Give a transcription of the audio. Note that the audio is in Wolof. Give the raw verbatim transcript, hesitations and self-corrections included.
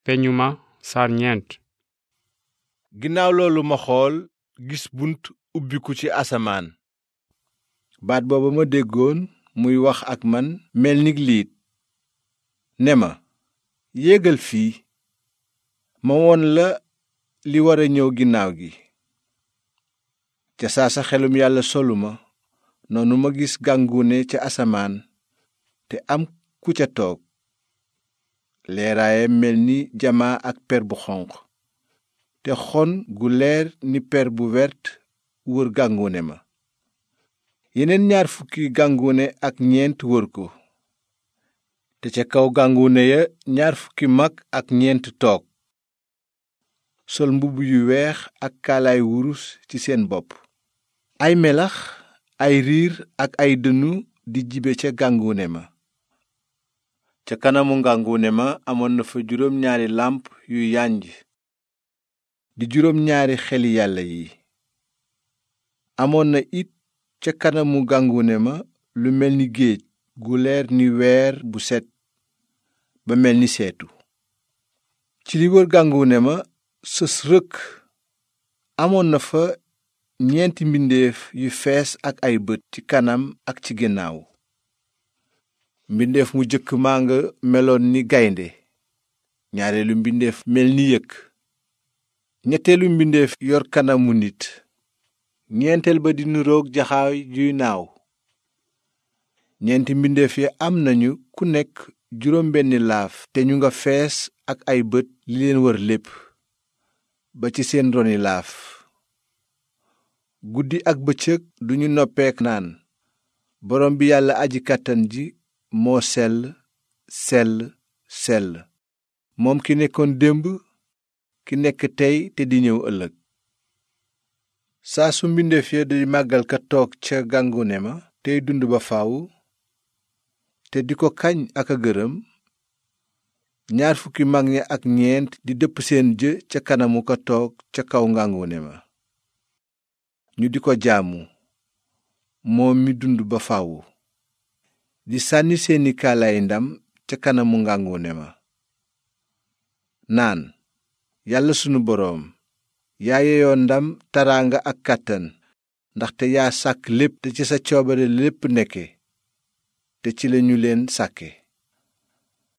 peñu ma saar ñeent. ginnaaw loolu ma xool gis bunt ubbiku ci asamaan. baat booba ma déggoon muy wax ak man mel ni liit ne ma yéegal fii ma won la li wara ñëw ginnaaw gi. ca saa sa xelum yàlla solu ma noonu ma gis gàngune ca asamaan te am ku ca toog leeraayam mel ni jamaa ak per bu xonq te xon gu leer ni per bu wert wër gàngune ma. yeneen ñaar fukki gàngune ak ñeent wër ko te ca kaw gàngune ya ñaar fukki mag ak ñeent toog sol mbubb yu weex ak kaalaay wurus ci seen bopp. ay melax ay riir ak ay dënnu di jibe ca gàngune ma. ca kanamu ngàngune ma amoon na fa juróom ñaari làmp yu yànj di juróom ñaari xeli yàlla yi. amoon na it ca kanamu gàngune ma lu mel ni géej gu leer ni weer bu set ba mel ni seetu. ci li wër gàngune ma sës rëkk amoon na fa ñeenti mbindeef yu fees ak ay bët ci kanam ak ci ginnaaw. mbindeef mu jëkk maa nga meloon ni gaynde, ñaareelu mbindeef mel ni yëkk, ñetteelu mbindeef yor kanamu nit, ñeenteel ba di nuroog jaxaay juy naaw. ñeenti mbindeef yi am nañu ku nekk juróom benni laaf te ñu nga fees ak ay bët li leen wër lépp ba ci seen roni laaf. guddi ak bëccëg duñu noppeek naan borom bi yàlla aji kàttan ji moo sell sell sell, moom ki nekkoon démb ki nekk tey te di ñëw ëllëg. saa su mbindeef ya di màggal ka toog ca gàngune ma tey dund ba faw te di ko kañ ak a gërëm, ñaar fukki mag ña ak ñeent di dëpp seen jë ca kanamu ka toog ca kaw ngàngune ma ñu di ko jaamu moom mi dund ba faw, di sànni seeni kaalaay ndam ca kanamu ngàngune ma naan yàlla sunu boroom yaa yeyoo ndam taraanga ak kàttan ndaxte yaa sàkk lépp te ci sa coobare lépp nekke te ci lañu leen sàkke.